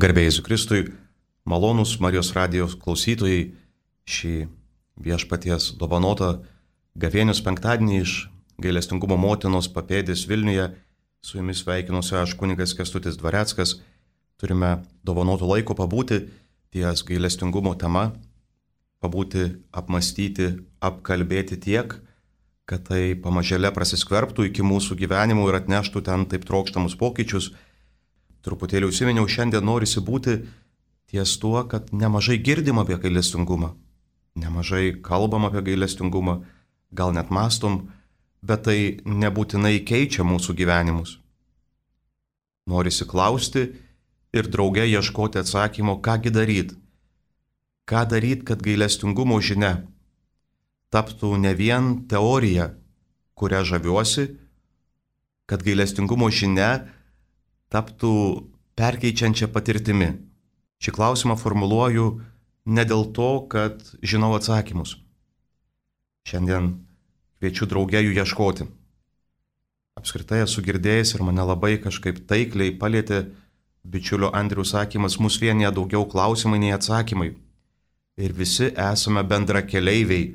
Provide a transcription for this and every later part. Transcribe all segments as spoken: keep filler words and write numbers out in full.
Garbė Jėzui Kristui, malonūs Marijos radijos klausytojai, šį viešpaties dovanotą gavėnios penktadienį iš gailestingumo motinos papėdės Vilniuje. Su jumis sveikinuosi aš kunigas Kęstutis Dvareckas. Turime dovanoto laiko pabūti ties gailestingumo tema, pabūti, apmastyti, apkalbėti tiek, kad tai pamažėle prasiskverbtų iki mūsų gyvenimų ir atneštų ten taip trokštamus pokyčius. Truputėlį užsiminiau, šiandien norisi būti ties tuo, kad nemažai girdim apie gailestingumą, nemažai kalbam apie gailestingumą, gal net mastom, bet tai nebūtinai keičia mūsų gyvenimus. Norisi klausti ir drauge ieškoti atsakymo, kągi daryt. Ką daryt, kad gailestingumo žinia taptų ne vien teorija, kurią žaviuosi, kad gailestingumo žinia taptų perkeičiančia patirtimi. Šį klausimą formuluoju ne dėl to, kad žinau atsakymus. Šiandien kviečiu drauge jų ieškoti. Apskritai esu girdėjęs ir mane labai kažkaip taikliai palietė bičiulio Andriaus sakymas, mus vienyje daugiau klausimai nei atsakymai. Ir visi esame bendra keleiviai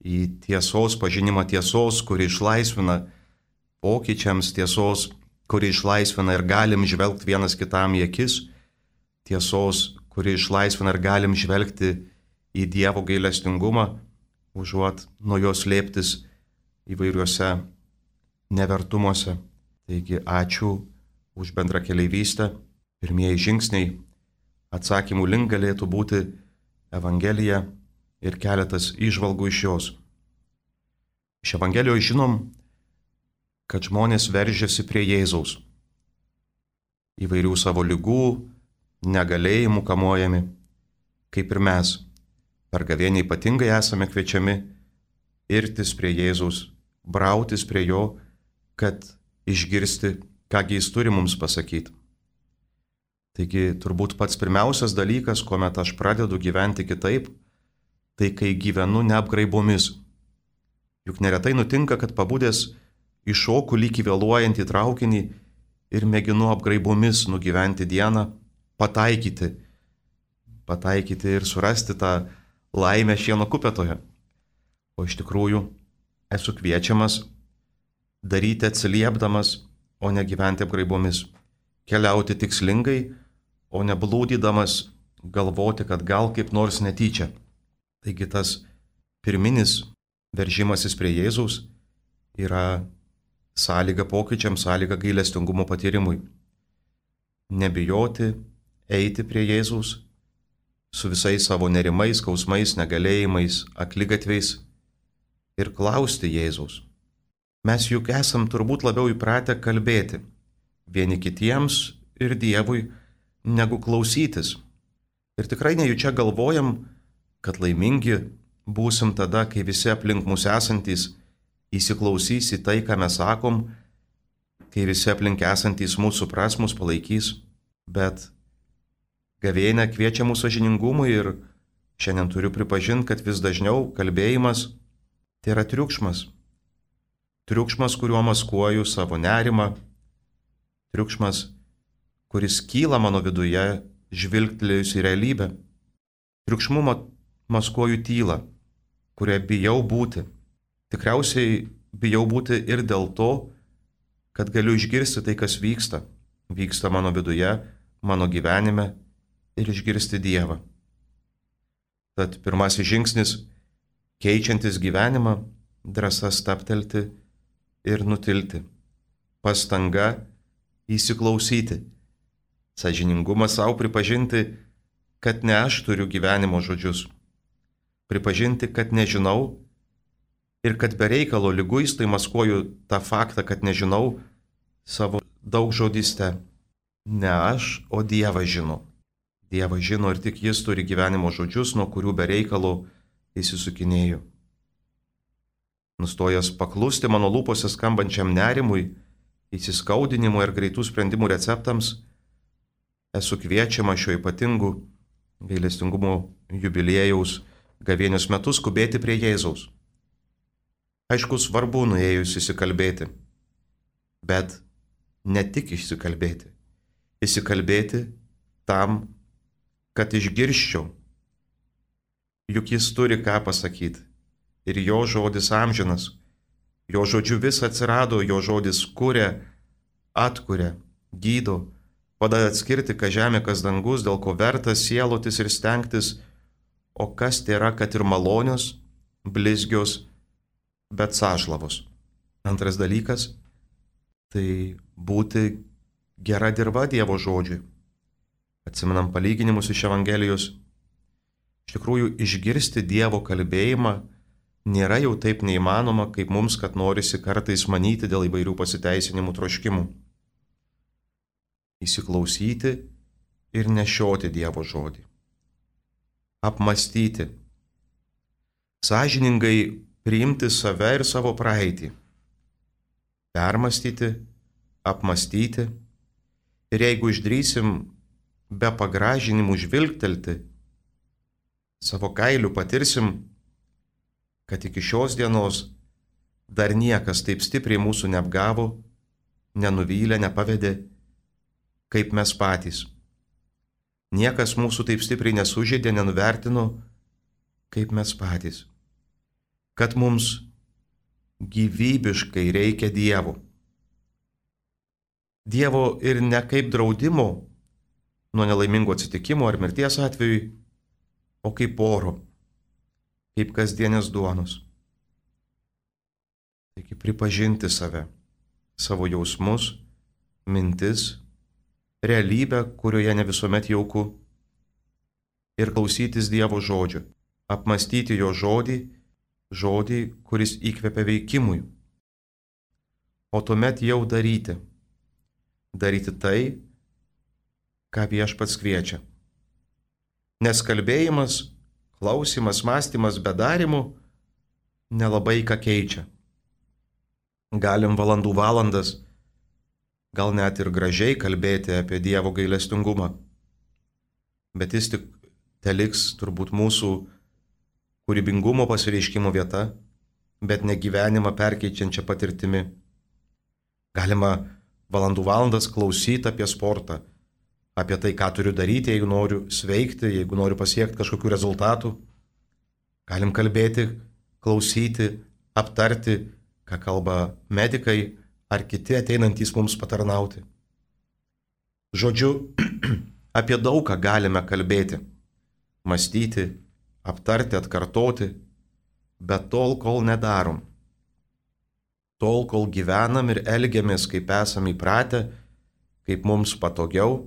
į tiesos pažinimą, tiesos, kuri išlaisvina, pokyčiams tiesos, kuri išlaisvina ir galim žvelgti vienas kitam į akis, tiesos, kuri išlaisvina ir galim žvelgti į Dievo gailestingumą, užuot nuo jo slėptis įvairiuose nevertumuose. Taigi ačiū už bendrą keleivystę. Pirmieji žingsniai atsakymų link galėtų būti Evangelija ir keletas įžvalgų iš jos. Iš Evangelijos žinom, kad žmonės veržiasi prie Jėzaus. Įvairių savo ligų, negalėjimų kamuojami, kaip ir mes. Per gavėnią ypatingai esame kviečiami irtis prie Jėzaus, brautis prie jo, kad išgirsti, kągi jis turi mums pasakyti. Taigi turbūt pats pirmiausias dalykas, kuomet aš pradedu gyventi kitaip, tai kai gyvenu neapgraibomis. Juk neretai nutinka, kad pabudęs iššoku lyg vėluojantį traukinį ir mėginu apgraibomis nugyventi dieną, pataikyti, pataikyti ir surasti tą laimę šieno kupetoje. O iš tikrųjų esu kviečiamas daryti atsiliepdamas, o ne gyventi apgraibomis, keliauti tikslingai, o ne blūdydamas galvoti, kad gal kaip nors netyčia. Taigi tas pirminis veržimasis prie Jėzaus yra sąlyga pokyčiams, sąlyga gailestingumo patyrimui. Nebijoti eiti prie Jėzaus su visais savo nerimais, skausmais, negalėjimais, akligatviais ir klausti Jėzaus. Mes juk esam turbūt labiau įpratę kalbėti vieni kitiems ir Dievui, negu klausytis. Ir tikrai nejučia galvojam, kad laimingi būsim tada, kai visi aplink mus esantys įsiklausys į tai, ką mes sakom, kai visi aplink esantys mūsų supras, mus palaikys, bet gavėnia kviečia mūsų sąžiningumui ir šiandien turiu pripažinti, kad vis dažniau kalbėjimas tai yra triukšmas. Triukšmas, kuriuo maskuoju savo nerimą, triukšmas, kuris kyla mano viduje, žvilgtelėjus į realybę. Triukšmu maskuoju tylą, kurią bijau būti. Tikriausiai bijau būti ir dėl to, kad galiu išgirsti tai, kas vyksta. Vyksta mano viduje, mano gyvenime ir išgirsti Dievą. Tad pirmasis žingsnis, keičiantis gyvenimą, drąsa stabtelti ir nutilti. Pastanga įsiklausyti. Sąžiningumas savo pripažinti, kad ne aš turiu gyvenimo žodžius. Pripažinti, kad nežinau, ir kad be reikalo liguistai maskuoju tą faktą, kad nežinau savo daugžodyste. Ne aš, o Dievas žino. Dievas žino ir tik jis turi gyvenimo žodžius, nuo kurių be reikalo įsisukinėju. Nustojęs paklusti mano lūpose skambančiam nerimui, įsiskaudinimui ir greitų sprendimų receptams, esu kviečiama šio ypatingų gailestingumo jubiliejaus gavėnios metu skubėti prie Jėzaus. Aišku, svarbu nuėjus įsikalbėti, bet ne tik įsikalbėti. Įsikalbėti tam, kad išgirščiau. Juk jis turi ką pasakyti. Ir jo žodis amžinas. Jo žodžiu vis atsirado, jo žodis kuria, atkuria, gydo, padeda atskirti, kas žemė, kas dangus, dėl ko verta sielotis ir stengtis, o kas tai yra, kad ir malonios, blizgios, bet sąžlavos. Antras dalykas - tai būti gera dirva Dievo žodžiui. Atsimenam palyginimus iš Evangelijos. Iš tikrųjų, išgirsti Dievo kalbėjimą nėra jau taip neįmanoma, kaip mums, kad norisi kartais manyti dėl įvairių pasiteisinimų troškimų. Įsiklausyti ir nešioti Dievo žodį. Apmastyti. Sąžiningai priimti save ir savo praeitį. Permastyti, apmastyti. Ir jeigu išdrysim be pagražinimų žvilgtelti, savo kailiu patirsim, kad iki šios dienos dar niekas taip stipriai mūsų neapgavo, nenuvylė, nepavedė, kaip mes patys. Niekas mūsų taip stipriai nesužeidė, nenuvertino, kaip mes patys. Kad mums gyvybiškai reikia Dievo. Dievo ir ne kaip draudimo nuo nelaimingo atsitikimo ar mirties atveju, o kaip oro, kaip kasdienės duonos. Taigi pripažinti save, savo jausmus, mintis, realybę, kurioje ne visuomet jauku, ir klausytis Dievo žodžio, apmastyti jo žodį, žodį, kuris įkvepia veikimui, o tuomet jau daryti, daryti tai, ką Viešpats kviečia. Nes kalbėjimas, klausimas, mąstymas be darimų nelabai ką keičia. Galim valandų valandas, gal net ir gražiai kalbėti apie Dievo gailestingumą, bet jis tik teliks turbūt mūsų kūrybingumo pasireiškimo vieta, bet ne gyvenimą perkeičiančią patirtimi. Galima valandų valandas klausyti apie sportą, apie tai, ką turiu daryti, jeigu noriu sveikti, jeigu noriu pasiekti kažkokių rezultatų. Galim kalbėti, klausyti, aptarti, ką kalba medikai ar kiti ateinantys mums patarnauti. Žodžiu, apie daug ką galime kalbėti, mąstyti, aptarti, atkartoti, bet tol, kol nedarom, tol, kol gyvenam ir elgiamės, kaip esame įpratę, kaip mums patogiau,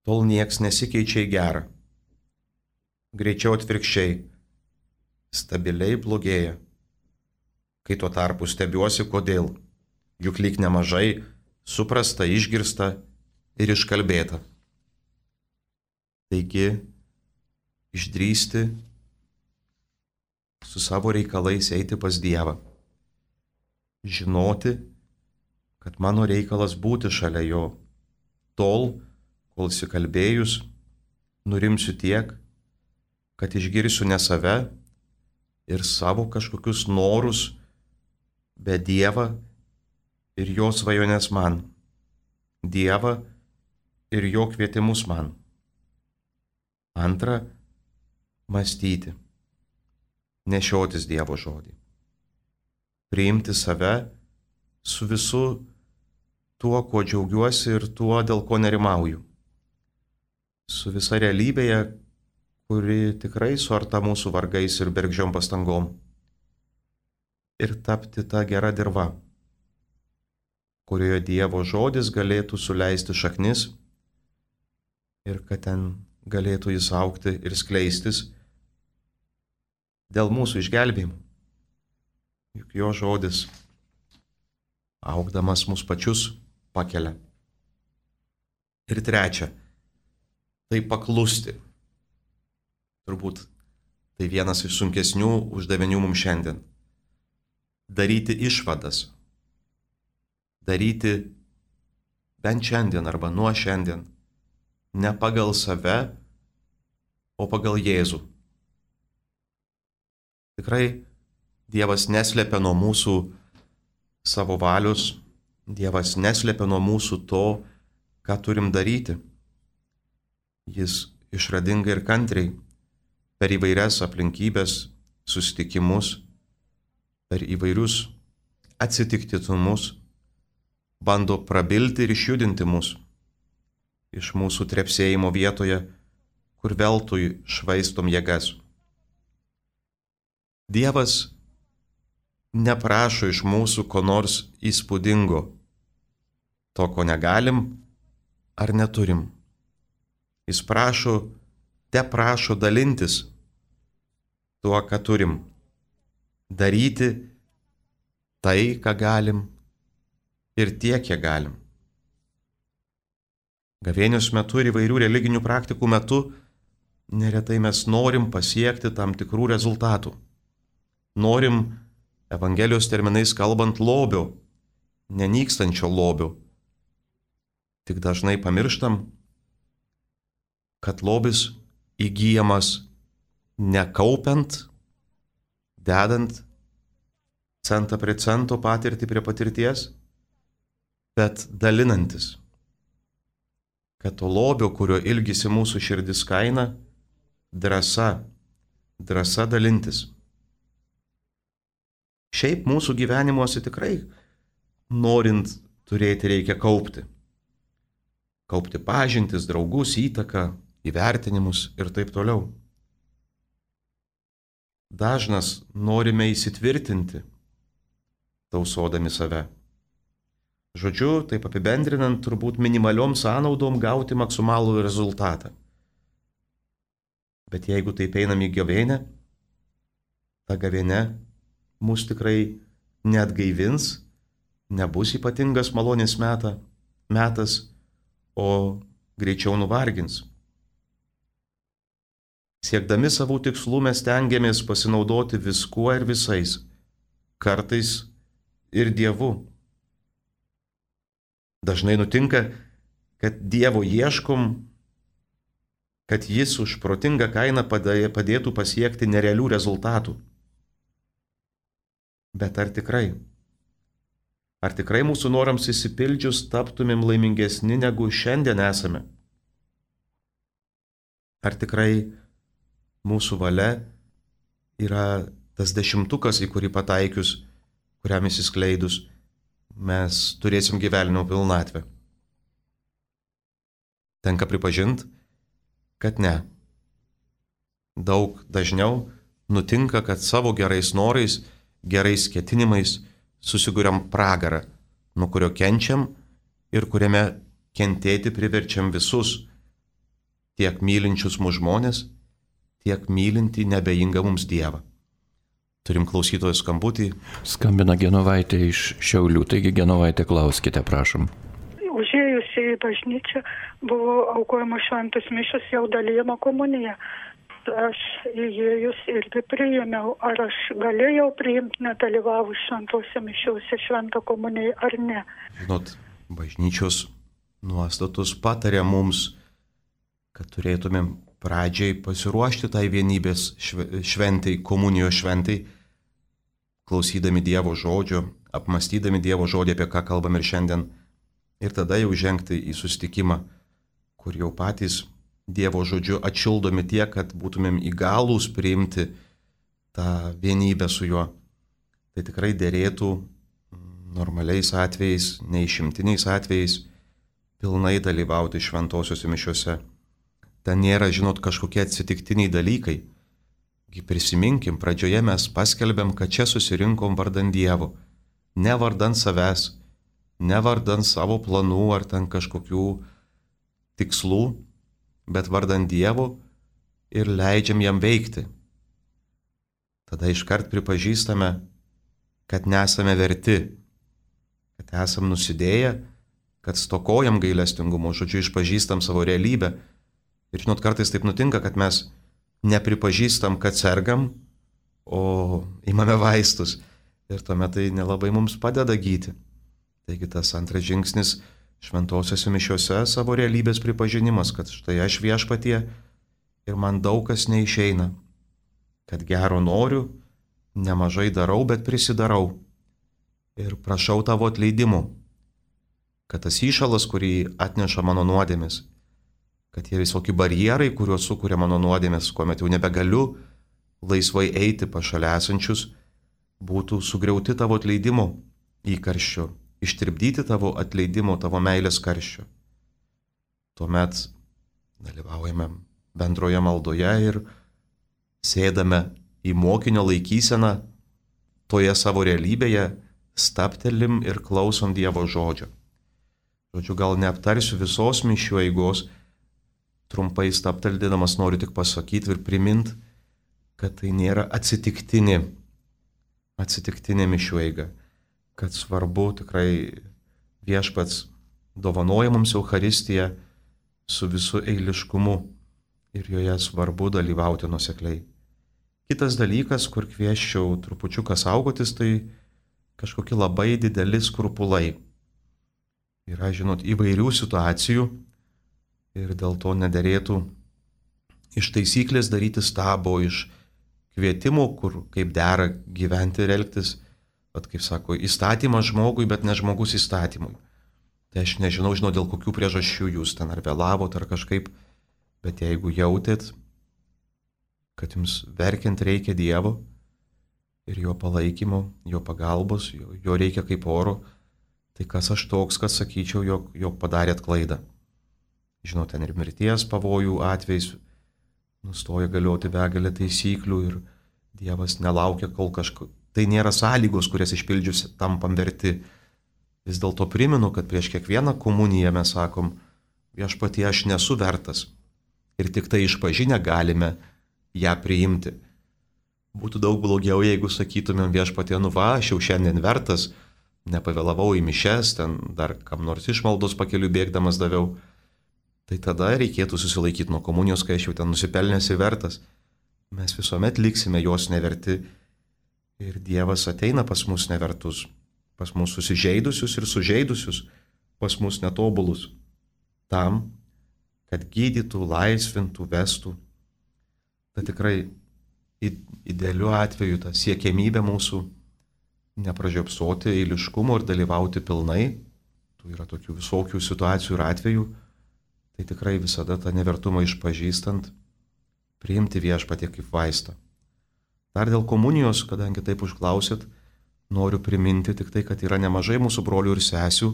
tol nieks nesikeičia į gerą. Greičiau atvirkščiai, stabiliai blogėja. Kai tuo tarpu stebiuosi, kodėl, juk lyg nemažai suprasta, išgirsta ir iškalbėta. Taigi, išdrįsti su savo reikalais eiti pas Dievą. Žinoti, kad mano reikalas būti šalia jo, tol, kol įsikalbėjus, nurimsiu tiek, kad išgirsiu ne save ir savo kažkokius norus, bet Dievą ir jo svajonės man, Dievą ir jo kvietimus man. Antra, mąstyti, nešiotis Dievo žodį, priimti save su visu tuo, kuo džiaugiuosi ir tuo, dėl ko nerimauju, su visa realybėje, kuri tikrai suarta mūsų vargais ir bergždžiom pastangom, ir tapti tą gerą dirvą, kurioje Dievo žodis galėtų suleisti šaknis ir kad ten galėtų jis augti ir skleistis dėl mūsų išgelbėjimų. Juk jo žodis, augdamas mus pačius, pakelia. Ir trečia, tai paklusti. Turbūt tai vienas iš sunkesnių uždavinių mums šiandien. Daryti išvadas. Daryti bent šiandien arba nuo šiandien ne pagal save, o pagal Jėzų. Tikrai Dievas neslepia nuo mūsų savo valios, Dievas neslepia nuo mūsų to, ką turim daryti. Jis išradingai ir kantriai per įvairias aplinkybės, susitikimus, per įvairius atsitiktinumus bando prabilti ir išjudinti mus iš mūsų trepsėjimo vietoje, kur veltui švaistom jėgas. Dievas neprašo iš mūsų ko nors įspūdingo, to, ko negalim ar neturim. Jis prašo, te prašo dalintis tuo, ką turim, daryti tai, ką galim ir tiek, kiek galim. Gavėnios metu ir įvairių religinių praktikų metu neretai mes norim pasiekti tam tikrų rezultatų. Norim, Evangelijos terminais kalbant, lobio, nenykstančio lobio. Tik dažnai pamirštam, kad lobis įgyjamas nekaupiant, dedant centą prie cento, patirtį prie patirties, bet dalinantis. Kad to lobio, kurio ilgisi mūsų širdis kaina, drąsa, drąsa dalintis. Šiaip mūsų gyvenimuose tikrai, norint turėti, reikia kaupti. Kaupti pažintis, draugus, įtaką, įvertinimus ir taip toliau. Dažnas norime įsitvirtinti, tausodami save. Žodžiu, taip apibendrinant, turbūt minimaliom sąnaudom gauti maksimalų rezultatą. Bet jeigu taip einam į gavėnią, ta gavėnia mus tikrai neatgaivins, nebus ypatingas malonės meta, metas, o greičiau nuvargins. Siekdami savų tikslų mes stengiamės pasinaudoti viskuo ir visais, kartais ir Dievu. Dažnai nutinka, kad Dievo ieškom, kad Jis už protingą kainą padėtų pasiekti nerealių rezultatų. Bet ar tikrai? Ar tikrai mūsų norams įsipildžius taptumėm laimingesni, negu šiandien esame? Ar tikrai mūsų valia yra tas dešimtukas, į kurį pataikius, kuriam įsiskleidus, mes turėsim gyvenimo pilnatvę? Tenka pripažinti, kad ne. Daug dažniau nutinka, kad savo gerais norais, gerais ketinimais susiguriam pragarą, nuo kurio kenčiam ir kuriame kentėti priverčiam visus, tiek mylinčius mūsų žmonės, tiek mylintį nebejingą mums Dievą. Turim klausytojų skambutį. Skambina Genovaitė iš Šiaulių, taigi Genovaitė, klauskite, prašom. Užėjusi į bažnyčią buvo aukojama šventos mišios, jau dalijama komunija. Aš įėjus irgi priėmiau, ar aš galėjau priimti nedalyvavus šventose mišiuose šventą komuniją ar ne. Žinot, bažnyčios nuostatos patarė mums, kad turėtumėm pradžiai pasiruošti tai vienybės šventai, komunijos šventai, klausydami Dievo žodžio, apmastydami Dievo žodį, apie ką kalbam ir šiandien, ir tada jau žengti į susitikimą, kur jau patys Dievo žodžiu atšildomi tiek, kad būtumėm įgalūs priimti tą vienybę su juo. Tai tikrai derėtų normaliais atvejais, neišimtiniais atvejais, pilnai dalyvauti šventosiuose mišiuose. Ten nėra, žinot, kažkokie atsitiktiniai dalykai. Prisiminkim, pradžioje mes paskelbėm, kad čia susirinkom vardan Dievo. Ne vardan savęs, ne vardan savo planų ar ten kažkokių tikslų, bet vardan Dievo ir leidžiam jam veikti. Tada iškart pripažįstame, kad nesame verti, kad esam nusidėję, kad stokojam gailestingumo, žodžiu, išpažįstam savo realybę. Ir žinot, kartais taip nutinka, kad mes nepripažįstam, kad sergam, o imame vaistus. Ir tuomet tai nelabai mums padeda gyti. Taigi tas antras žingsnis šventosiuose mišiuose savo realybės pripažinimas, kad štai aš viešpatie ir man daug kas neišeina. Kad gero noriu, nemažai darau, bet prisidarau. Ir prašau tavo atleidimo. Kad tas įšalas, kurį atneša mano nuodėmis, kad tie visokie barjerai, kuriuos sukuria mano nuodėmės, kuomet jau nebegaliu laisvai eiti pas šalia esančius, būtų sugriauti tavo atleidimo įkarščio, ištirpdyti tavo atleidimo, tavo meilės karščio. Tuomet dalyvaujame bendroje maldoje ir sėdame į mokinio laikyseną toje savo realybėje, staptelim ir klausom Dievo žodžio. Žodžiu, gal neaptarsiu visos mišių eigos, trumpai stapteldamas noriu tik pasakyti ir priminti, kad tai nėra atsitiktinė, atsitiktinė mišių eiga, kad svarbu tikrai Viešpats dovanoja mums Eucharistiją su visu eiliškumu ir joje svarbu dalyvauti nuosekliai. Kitas dalykas, kur kvieščiau trupučiuką saugotis, tai kažkokie labai dideli skrupulai. Yra, žinot, įvairių situacijų ir dėl to nederėtų iš taisyklės daryti stabo, iš kvietimų, kur kaip dera gyventi ir elgtis, bet kaip sako, įstatymas žmogui, bet ne žmogus įstatymui. Tai aš nežinau, žinau, dėl kokių priežasčių jūs ten ar vėlavot ar kažkaip, bet jeigu jautėt, kad jums verkiant reikia Dievo ir jo palaikymo, jo pagalbos, jo, jo reikia kaip oro, tai kas aš toks, kad sakyčiau, jog, jog padarėt klaidą. Žinau, ten ir mirties pavojų atvejais nustoja galioti begalė taisyklių ir Dievas nelaukia, kol kažko. Tai nėra sąlygos, kurias išpildžius tampam verti. Vis dėlto primenu, kad prieš kiekvieną komuniją mes sakom, Viešpatie, aš nesu vertas. Ir tik tai išpažinę galime ją priimti. Būtų daug blogiau, jeigu sakytumėm, Viešpatie, nu va, aš jau šiandien vertas, nepavėlavau į mišes, ten dar kam nors išmaldos pakeliu bėgdamas daviau. Tai tada reikėtų susilaikyti nuo komunijos, kai aš jau ten nusipelnęs ir vertas. Mes visuomet liksime jos neverti ir Dievas ateina pas mus nevertus, pas mus susižeidusius ir sužeidusius, pas mus netobulus, tam, kad gydytų, laisvintų, vestų. Tai tikrai idealiu atveju ta siekiamybė mūsų nepražiopsoti eiliškumo ir dalyvauti pilnai. Tų yra tokių visokių situacijų ir atvejų. Tai tikrai visada tą nevertumą išpažįstant, priimti Viešpatį kaip vaistą. Dar dėl komunijos, kadangi taip užklausėt, noriu priminti tik tai, kad yra nemažai mūsų brolių ir sesių,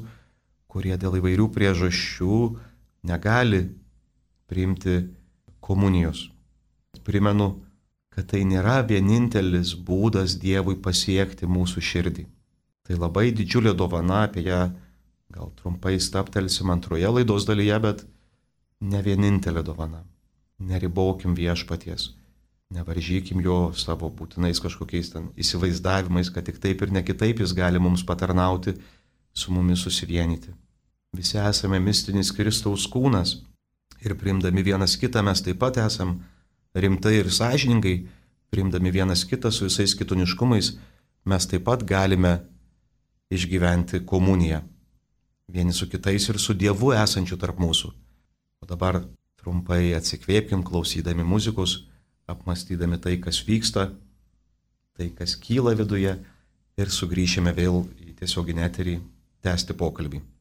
kurie dėl įvairių priežasčių negali priimti komunijos. Primenu, kad tai nėra vienintelis būdas Dievui pasiekti mūsų širdį. Tai labai didžiulė dovana, apie ją gal trumpai staptelsim antroje laidos dalyje, bet ne vienintelė dovana. Neribokim Viešpaties, nevaržykim jo savo būtinais kažkokiais ten įsivaizdavimais, kad tik taip ir ne kitaip jis gali mums patarnauti, su mumis susivienyti. Visi esame mistinis Kristaus kūnas ir priimdami vienas kitą mes taip pat esam rimtai ir sąžiningai, priimdami vienas kitą su visais kitoniškumais, mes taip pat galime išgyventi komuniją. Vieni su kitais ir su Dievu esančiu tarp mūsų. O dabar trumpai atsikvėpkim, klausydami muzikos, apmastydami tai, kas vyksta, tai, kas kyla viduje ir sugrįšime vėl į tiesioginį eterį tęsti pokalbį. Oh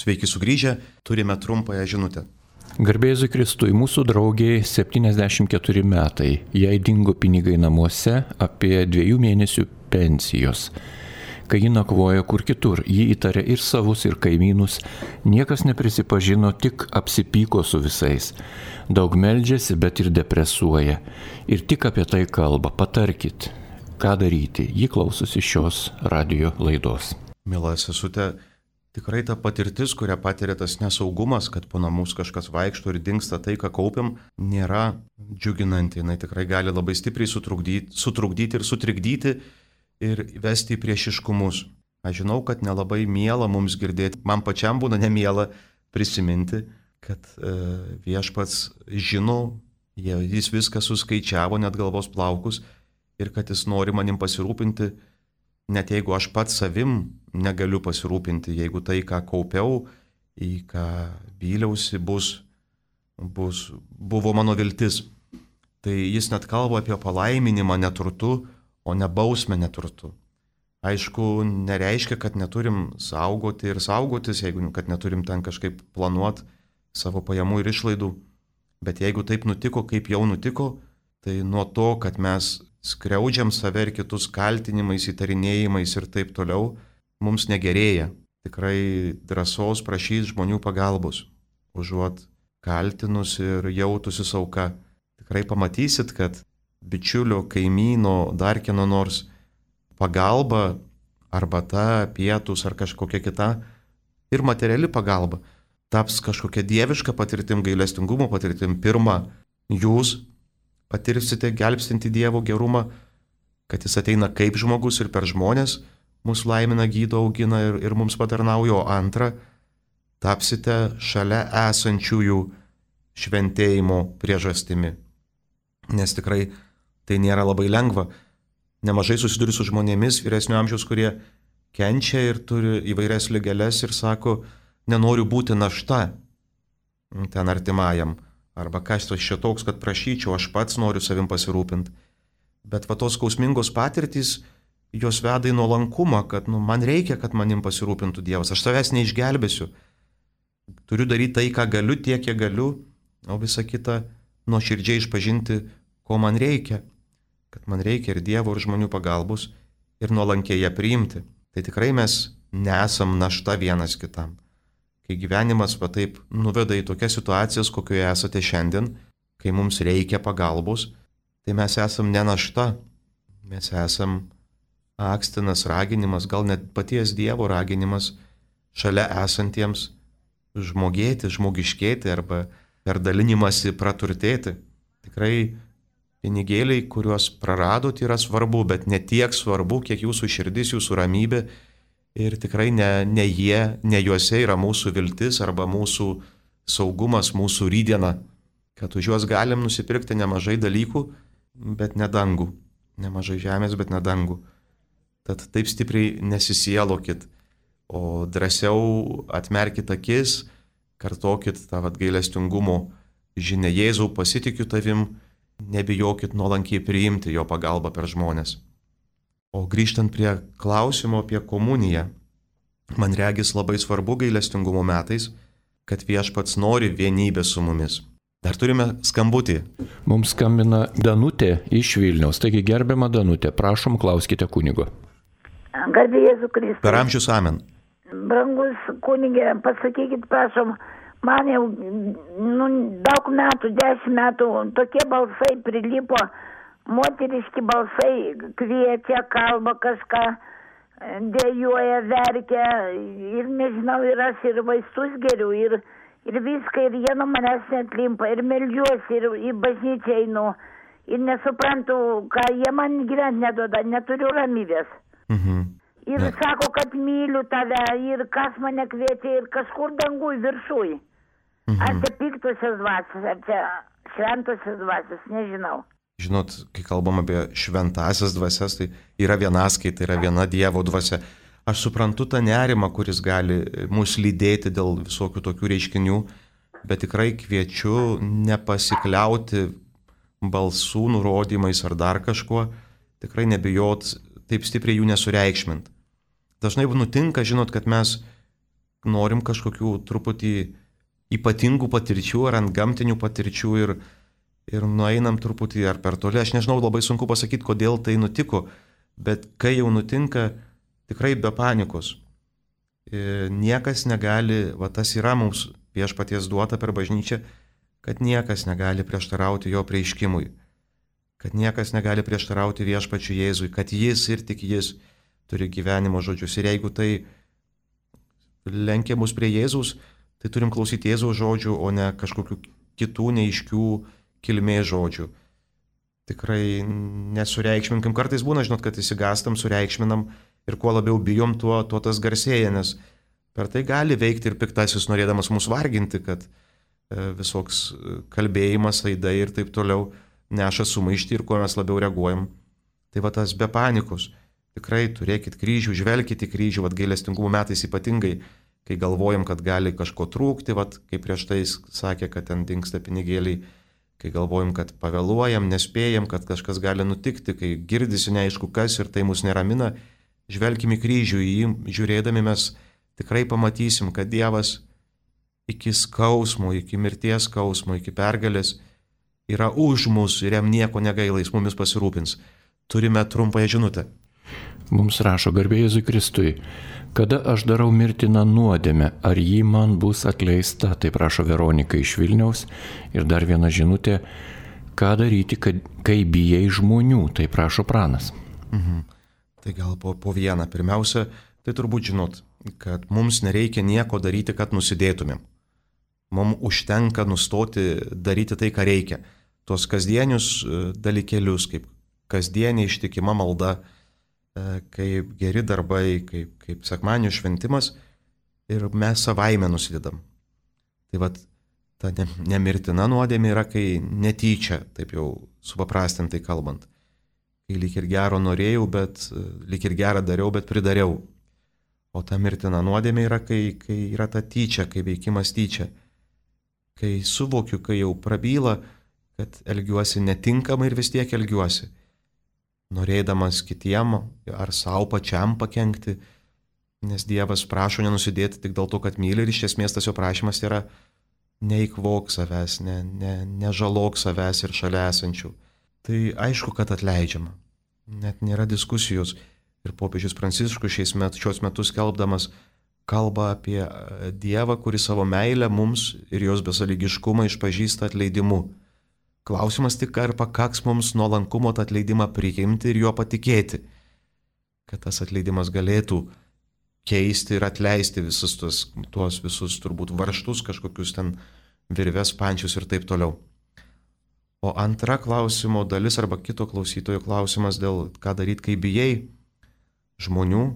Sveiki sugrįžę, turime trumpąją žinutę. Garbėzui Kristui, mūsų draugiai septyniasdešimt keturi metai, jai dingo pinigai namuose apie dviejų mėnesių pensijos. Kai ji nakvojo kur kitur, ji įtarė ir savus, ir kaimynus, niekas neprisipažino, tik apsipyko su visais. Daug meldžiasi, bet ir depresuoja. Ir tik apie tai kalba. Patarkit, ką daryti. Ji klausosi šios radijo laidos. Mila sesute, tikrai ta patirtis, kurią patiria tas nesaugumas, kad po namus kažkas vaikšto ir dingsta tai, ką kaupiam, nėra džiuginanti. Jis tikrai gali labai stipriai sutrukdyti, sutrukdyti ir sutrikdyti ir vesti į priešiškumus. Aš žinau, kad nelabai miela mums girdėti, man pačiam būna nemiela prisiminti, kad e, viešpats žino, jis viską suskaičiavo, net galvos plaukus, ir kad jis nori manim pasirūpinti, net jeigu aš pats savim negaliu pasirūpinti, jeigu tai, ką kaupiau, į ką vyliausi, bus, bus, buvo mano viltis. Tai jis net kalba apie palaiminimą neturtu, o ne bausmę neturtu. Aišku, nereiškia, kad neturim saugoti ir saugotis, jeigu kad neturim ten kažkaip planuoti savo pajamų ir išlaidų. Bet jeigu taip nutiko, kaip jau nutiko, tai nuo to, kad mes skriaudžiam save ir kitus kaltinimais, įtarinėjimais ir taip toliau, mums negerėja. Tikrai drąsos prašys žmonių pagalbos, užuot kaltinus ir jautusis auka. Tikrai pamatysit, kad bičiulio, kaimyno, dar kieno nors pagalba, arbata, pietus ar kažkokia kita ir materiali pagalba taps kažkokia dieviška patirtim, gailestingumo patirtim. Pirma, jūs patirsite gelbstinti Dievo gerumą, kad jis ateina kaip žmogus ir per žmonės mus laimina, gydo, augina ir, ir mums patarnauja. O antra, tapsite šalia esančiųjų šventėjimo priežastimi. Nes tikrai tai nėra labai lengva. Nemažai susiduriu su žmonėmis vyresnio amžiaus, kurie kenčia ir turi įvairias ligeles ir sako, nenoriu būti našta ten artimajam. Arba kas tas čia toks, kad prašyčiau, aš pats noriu savim pasirūpinti. Bet va tos skausmingos patirtys, jos veda į nuolankumą, kad nu, man reikia, kad manim pasirūpintų Dievas. Aš savęs neišgelbėsiu. Turiu daryti tai, ką galiu, tiek, kiek galiu, o visą kitą nuoširdžiai išpažinti, ko man reikia. Kad man reikia ir Dievo, ir žmonių pagalbos, ir nuolankiai ją priimti. Tai tikrai mes nesam našta vienas kitam. Kai gyvenimas va taip nuveda į tokias situacijas, kokioje esate šiandien, kai mums reikia pagalbos, tai mes esam ne našta, mes esam akstinas, raginimas, gal net paties Dievo raginimas šalia esantiems žmogėti, žmogiškėti arba per dalinimąsi praturtėti. Tikrai pinigėliai, kuriuos praradot, yra svarbu, bet ne tiek svarbu, kiek jūsų širdis, jūsų ramybė. Ir tikrai ne, ne jie, ne juose yra mūsų viltis arba mūsų saugumas, mūsų rydiena, kad už juos galim nusipirkti nemažai dalykų, bet ne dangų. Nemažai žemės, bet ne dangų. Tad taip stipriai nesisielokit, o drąsiau atmerkit akis, kartokit tą gailestingumo žinią. Jėzau, pasitikiu tavim, nebijokit nuolankiai priimti jo pagalbą per žmonės. O grįžtant prie klausimo apie komuniją, man regis labai svarbu gailestingumo metais, kad viešpats nori vienybės su mumis. Dar turime skambutį. Mums skambina Danutė iš Vilniaus. Taigi gerbiama Danutė, prašom, klauskite kunigo. Garbė Jėzų Kristų. Per amžius amen. Brangus kunigė, pasakykit, prašom, man jau nu, daug metų, dešimt metų, tokie balsai prilipo, moteriški balsai, kviečia, kalba kažką, dėjuoja, verkia ir nežinau, ir aš ir vaistus geriu, ir, ir viską, ir jie nuo manęs netlimpa, ir meldžiuosi, ir į bažnyčią einu, ir nesuprantu, ką jie man gyventi neduoda, neturiu ramybės. Mhm. Ir ne. Sako, kad myliu tave, ir kas mane kviečia, ir kažkur dangui viršui. Mhm. Ar čia piktosios dvasios, ar čia šventosios dvasios, nežinau. Žinot, kai kalbam apie šventasias dvasias, tai yra vienaskaita, yra viena Dievo dvasia. Aš suprantu tą nerimą, kuris gali mus lydėti dėl visokių tokių reiškinių, bet tikrai kviečiu nepasikliauti balsų nurodymais ar dar kažkuo, tikrai nebijot taip stipriai jų nesureikšmint. Dažnai nutinka, žinot, kad mes norim kažkokių truputį ypatingų patirčių ar ant gamtinių patirčių ir, ir nueinam truputį ar per toli. Aš nežinau, labai sunku pasakyti, kodėl tai nutiko, bet kai jau nutinka, tikrai be panikos. Niekas negali, va tas yra mums viešpaties duota per bažnyčią, kad niekas negali prieštarauti jo prieiškimui, kad niekas negali prieštarauti viešpačiui Jėzui, kad jis ir tik jis turi gyvenimo žodžius. Ir jeigu tai lenkia mus prie Jėzaus, tai turim klausyti Jėzaus žodžių, o ne kažkokių kitų neiškių kilmės žodžių. Tikrai nesureikšminkim. Kartais būna, žinot, kad įsigastam, sureikšminam ir kuo labiau bijom, tuo, tuo tas garsėja, nes per tai gali veikti ir piktasis norėdamas mus varginti, kad e, visoks kalbėjimas, aidai ir taip toliau neša sumaištį ir kuo mes labiau reaguojam. Tai va tas be panikos. Tikrai turėkit kryžių, žvelkite į kryžių, vat gailestingumo metais ypatingai, kai galvojam, kad gali kažko trūkti, vat kaip prieš tai sakė, kad ten dingsta pinigėliai, kai galvojam, kad pavėluojam, nespėjam, kad kažkas gali nutikti, kai girdisi neaišku kas ir tai mus neramina, žvelkim į kryžių, į jį žiūrėdami mes tikrai pamatysim, kad Dievas iki skausmo, iki mirties skausmo, iki pergalės yra už mus ir jam nieko negaila, jis mumis pasirūpins. Turime trumpąją žinutę. Mums rašo garbė Jėzui Kristui, kada aš darau mirtiną nuodėmę, ar ji man bus atleista, tai prašo Veronika iš Vilniaus. Ir dar viena žinutė, ką daryti, kad, kai bijai žmonių, tai prašo Pranas. Mhm. Tai gal po, po vieną. Pirmiausia, tai turbūt žinot, kad mums nereikia nieko daryti, kad nusidėtumėm. Mums užtenka nustoti daryti tai, ką reikia. Tos kasdienius dalykėlius, kaip kasdienė ištikima malda, kaip geri darbai, kaip, kaip sekmadienio šventimas ir mes savaime nusidedam. Tai vat ta nemirtina nuodėmė yra, kai netyčia, taip jau supaprastintai kalbant. Kai lyg ir gero norėjau, bet lyg ir gerą dariau, bet pridariau. O ta mirtina nuodėmė yra, kai, kai yra ta tyčia, kai veikimas tyčia. Kai suvokiu, kai jau prabyla, kad elgiuosi netinkamai ir vis tiek elgiuosi. Norėdamas kitiem ar savo pačiam pakenkti, nes Dievas prašo nenusidėti tik dėl to, kad myli ir iš esmės tas jo prašymas yra neįkvok savęs, ne, ne, nežalok savęs ir šalia esančių. Tai aišku, kad atleidžiama. Net nėra diskusijos. Ir popiežius Pranciškus šiais met, šios metus skelbdamas kalba apie Dievą, kuris savo meilę mums ir jos besąlygiškumą išpažįsta atleidimu. Klausimas tik, ar pakaks mums nuolankumo tą atleidimą priimti ir juo patikėti, kad tas atleidimas galėtų keisti ir atleisti visus tuos, tuos visus turbūt varžtus, kažkokius ten virves, pančius ir taip toliau. O antra klausimo dalis arba kito klausytojo klausimas dėl ką daryti, kai bijai žmonių,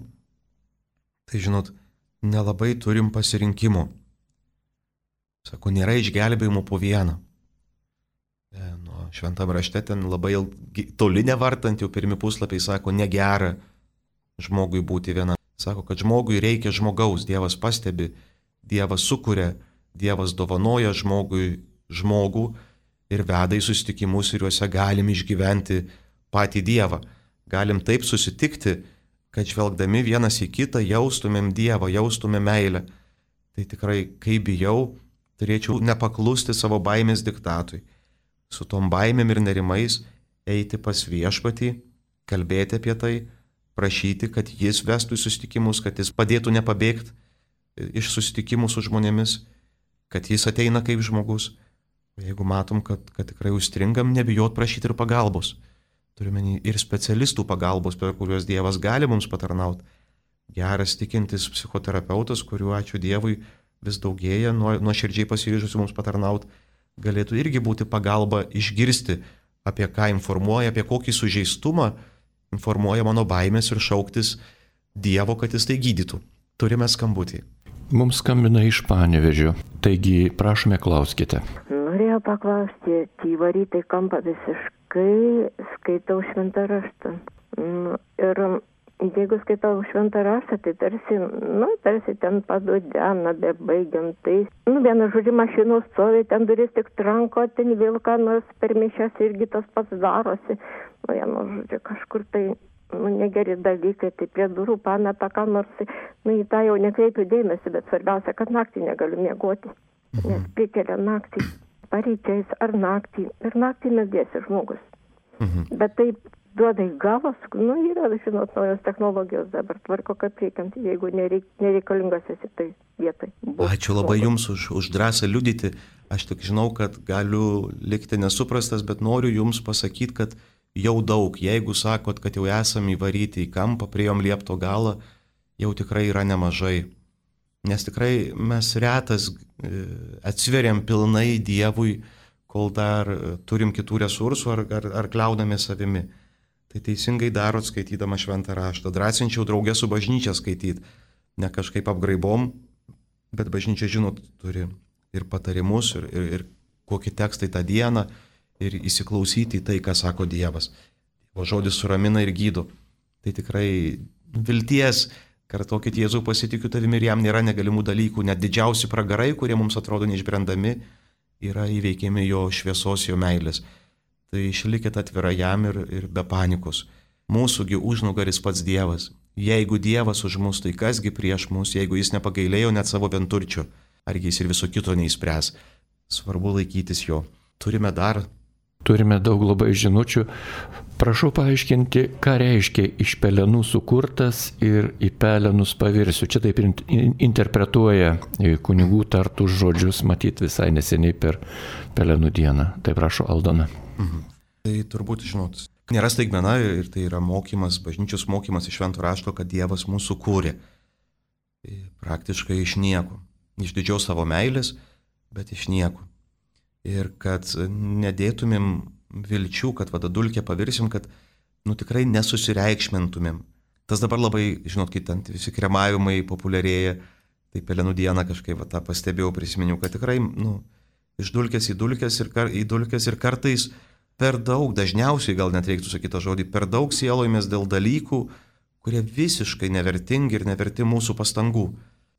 tai žinot, nelabai turim pasirinkimo. Sako, nėra išgelbėjimo po vieną. Nu, šventam rašte ten labai toli nevartant, jau pirmi puslapiai sako, negera žmogui būti viena. Sako, kad žmogui reikia žmogaus, Dievas pastebi, Dievas sukuria, Dievas dovanoja žmogui žmogų ir veda į susitikimus ir juose galim išgyventi patį Dievą. Galim taip susitikti, kad žvelgdami vienas į kitą jaustumėm Dievą, jaustumėm meilę. Tai tikrai, kai bijau, turėčiau nepaklusti savo baimės diktatui. Su tom baimėm ir nerimais eiti pas viešpatį, kalbėti apie tai, prašyti, kad jis vestų į susitikimus, kad jis padėtų nepabėgti iš susitikimų su žmonėmis, kad jis ateina kaip žmogus. Jeigu matom, kad, kad tikrai užstringam, nebijot prašyti ir pagalbos. Turime ir specialistų pagalbos, per kuriuos Dievas gali mums patarnauti. Geras tikintis psichoterapeutas, kuriuo ačiū Dievui vis daugėja, nuoširdžiai pasiryžusi mums patarnauti, galėtų irgi būti pagalba išgirsti, apie ką informuoja, apie kokį sužeistumą informuoja mano baimės ir šauktis Dievo, kad jis tai gydytų. Turime skambutį. Mums skambina iš Panevėžio, taigi prašome, klauskite. Norėjau paklausti, įvaryti kampą visiškai, skaitau šventą raštą. Ir jeigu skaitau šventą raštą, tai tarsi, nu, tarsi ten padudena, bebaigiant. Tai, nu, vienu žodžiu, mašinos stovi, ten duris tik tranko, ten vėl ką nors per mišias irgi tas pats darosi. Nu, vienu žodžiu, kažkur tai nu, negeri dalykai, tai prie durų pameta ką nors, nu, į tą jau nekreipiu dėmesį, bet svarbiausia, kad naktį negaliu miegoti, nes prikelia naktį, paryčiais ar naktį, ir naktį meldėsi žmogus. Mhm. Bet taip duoda į galvas, nu, yra, žinot, naujos technologijos dabar tvarko, kad reikiant, jeigu nereik, nereikalingas esi tai vietai. Ačiū labai Jums už, už drąsą liudyti. Aš tik žinau, kad galiu likti nesuprastas, bet noriu Jums pasakyti, kad jau daug, jeigu sakot, kad jau esam įvaryti į kampą, priejom liepto galą, jau tikrai yra nemažai. Nes tikrai mes retas atsveriam pilnai Dievui, kol dar turim kitų resursų ar, ar, ar kliaudame savimi. Tai teisingai darot skaitydama šventą raštą. Drąsinčiau draugę su bažnyčia skaityti. Ne kažkaip apgraibom, bet bažnyčia, žinot, turi ir patarimus, ir, ir, ir kokį tekstą tą dieną, ir įsiklausyti į tai, ką sako Dievas. O žodis suramina ir gydo. Tai tikrai vilties, kartokit Jėzau, pasitikiu tavimi ir jam nėra negalimų dalykų. Net didžiausi pragarai, kurie mums atrodo neišbrendami, yra įveikiami jo šviesos, jo meilės. Tai išlikit atvira jam ir, ir be panikos. Mūsųgi užnugaris pats Dievas. Jeigu Dievas už mus, tai kasgi prieš mus, jeigu jis nepagailėjo net savo vienturčio, argi jis ir viso kito neįspręs. Svarbu laikytis jo. Turime dar. Turime daug labai žinučių. Prašau paaiškinti, ką reiškia iš pelenų sukurtas ir į pelenus pavirsiu. Čia taip interpretuoja kunigų tartus žodžius, matyt visai neseniai per pelenų dieną. Tai prašau, Aldona. Mhm. Tai turbūt, žinot, nėra staigmena ir tai yra mokymas, bažnyčios mokymas iš švento rašto, kad Dievas mūsų kūrė. Praktiškai iš nieko. Iš didžios savo meilės, bet iš nieko. Ir kad nedėtumėm vilčių, kad vada dulkė pavirsim, kad nu tikrai nesusireikšmintumėm. Tas dabar labai, žinot, kai ten visi kremavimai populiarėja, tai pelenų dieną kažkaip va, tą pastebėjau, prisiminiau, kad tikrai nu, iš dulkės į dulkės ir, kar, į dulkės ir kartais per daug, dažniausiai gal net reiktų sakyti tą žodį, per daug sielojamės dėl dalykų, kurie visiškai nevertingi ir neverti mūsų pastangų.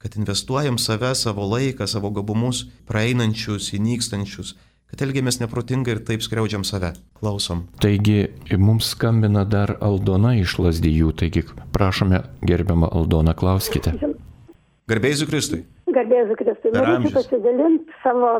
Kad investuojam save, savo laiką, savo gabumus, praeinančius, įnykstančius, kad elgiamės neprotingai ir taip skriaudžiam save. Klausom. Taigi, mums skambina dar Aldona iš Lazdijų, taigi prašome, gerbiamą Aldoną, klauskite. Garbėjai Jėzui Kristui. Garbėjai Jėzui Kristui. Norėčiau pasidalinti savo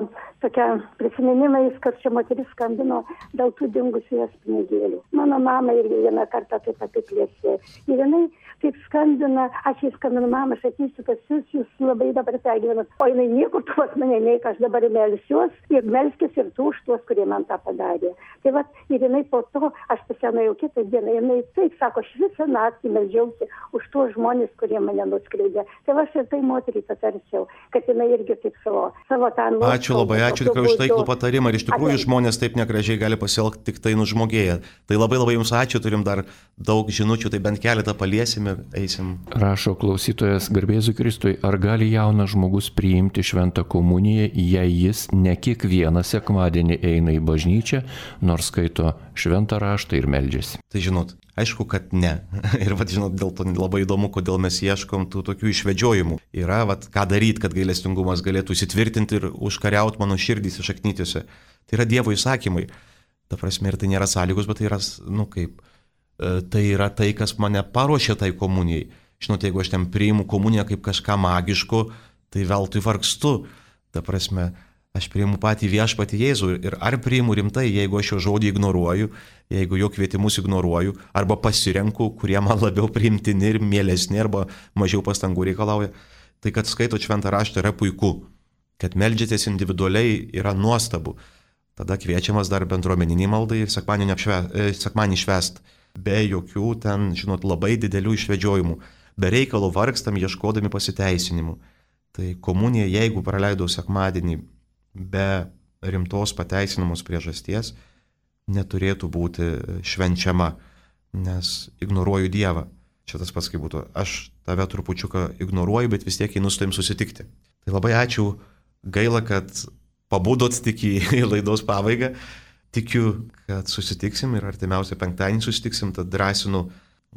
tokia prisiminimais, kad čia moteris skambino dėl tų dingusių jos pinigėlių. Mano mama irgi vieną kartą taip apiplėsė. Ir jinai taip skambina, aš jai skambinu, mama, aš ateisiu pas jūs, jūs labai dabar pergyvenat. O jinai niekur tu pas mane neik, aš dabar melsiuos ir melskis ir tu už tuos, kurie man tą padarė. Tai vat, ir jinai po to, aš pasienojau kitą dieną, jinai taip sako, aš visą naktį meldžiausi už tuos žmonės, kurie mane nuskriaudė. Tai aš ir tai moteriai patarsiau, kad jinai irgi taip savo, savo tą nuoskaudų. Ačiū labai, ačiū tikrai už taiklų patarimą. Ir iš tikrųjų žmonės taip negražiai gali pasielgti tik tai nužmogėję. Tai labai labai jums ačiū, turim dar daug žinučių, tai bent keletą paliesim ir eisim. Rašo klausytojas, garbė Jėzui Kristui, ar gali jaunas žmogus priimti šventą komuniją, jei jis ne kiekvieną sekmadienį eina į bažnyčią, nors skaito šventą raštą ir meldžiasi? Tai žinot, aišku, kad ne. Ir vat, žinot, dėl to labai įdomu, kodėl mes ieškom tų tokių išvedžiojimų. Yra, vat, ką daryti, kad gailestingumas galėtų įsitvirtinti ir užkariauti mano širdį įsišaknytiuose. Tai yra Dievo įsakymai. Ta prasme, ir tai nėra sąlygos, bet tai yra, nu kaip, tai yra tai, kas mane paruošė tai komunijai. Žinot, jeigu aš ten priimu komuniją kaip kažką magiško, tai veltui vargstu. Ta prasme, aš priimu patį viešpatį Jėzų ir ar priimu rimtai, jeigu aš jo žodį ignoruoju, jeigu jo kvietimus ignoruoju, arba pasirenku, kurie man labiau priimtini ir mielesni, arba mažiau pastangų reikalauja. Tai kad skaito šventą raštą yra puiku, kad meldžiatės individualiai yra nuostabu. Tada kviečiamas dar bendruomeninį maldą ir sekmanį švęst. Be jokių ten, žinot, labai didelių išvedžiojimų. Be reikalo vargstam ieškodami pasiteisinimų. Tai komunija, jeigu praleidau sekmadienį be rimtos pateisinamos priežasties, neturėtų būti švenčiama, nes ignoruoju Dievą. Čia tas pats kaip būtų. Aš tave trupučiuką ignoruoju, bet vis tiek einu su tavim susitikti. Tai labai ačiū, gaila, kad pabudot tik į laidos pabaigą. Tikiu, kad susitiksim ir artimiausią penktadienį susitiksim, tad drąsinu,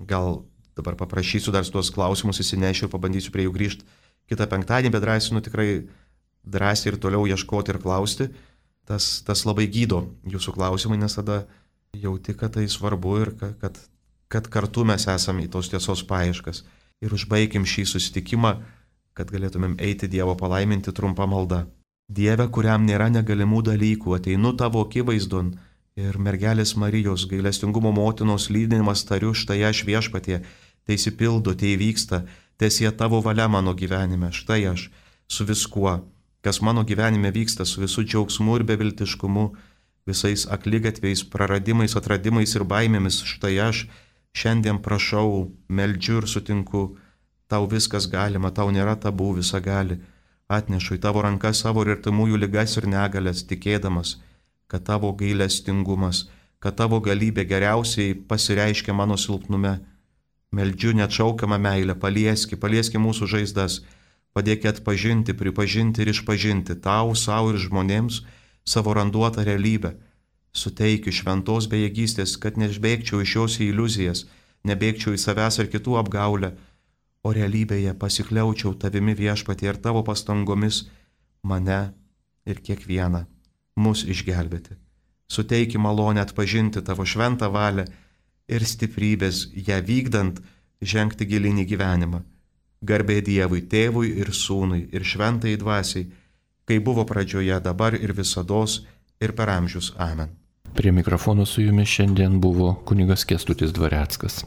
gal dabar paprašysiu dar tuos klausimus įsinešiu ir pabandysiu prie jų grįžti kitą penktadienį, bet drąsinu tikrai drąsiai ir toliau ieškoti ir klausti. Tas, tas labai gydo jūsų klausimai, nes tada jauti, kad tai svarbu ir kad, kad kad kartu mes esame į tos tiesos paieškas. Ir užbaigim šį susitikimą, kad galėtumėm eiti Dievo palaiminti trumpą maldą. Dieve, kuriam nėra negalimų dalykų, ateinu tavo akivaizdon ir mergelės Marijos gailestingumo motinos lydinimas tariu, štai aš viešpatie, tai įsipildo, tai įvyksta, tiesie tavo valia mano gyvenime, štai aš su viskuo, kas mano gyvenime vyksta, su visų džiaugsmu ir beviltiškumu, visais akligatviais, praradimais, atradimais ir baimėmis, štai aš šiandien prašau, meldžiu ir sutinku, tau viskas galima, tau nėra tabų, visa gali. Atnešu į tavo rankas savo ir artimųjų ligas ir negalės, tikėdamas, kad tavo gailestingumas, kad tavo galybė geriausiai pasireiškia mano silpnume. Meldžiu neatšaukiamą meilę, palieski, palieski mūsų žaizdas, padėk atpažinti, pripažinti ir išpažinti tau, savo ir žmonėms savo randuotą realybę. Suteikiu šventos bejėgystės, kad neišbėgčiau iš jos į iliuzijas, nebėgčiau į savęs ir kitų apgaulę, o realybėje pasikliaučiau tavimi viešpatie ir tavo pastangomis mane ir kiekvieną mus išgelbėti. Suteiki malonę atpažinti tavo šventą valią ir stiprybės, ją vykdant žengti gilinį gyvenimą. Garbė Dievui, Tėvui ir Sūnui ir šventai dvasiai, kai buvo pradžioje, dabar ir visados ir per amžius. Amen. Prie mikrofono su jumis šiandien buvo kunigas Kęstutis Dvareckas.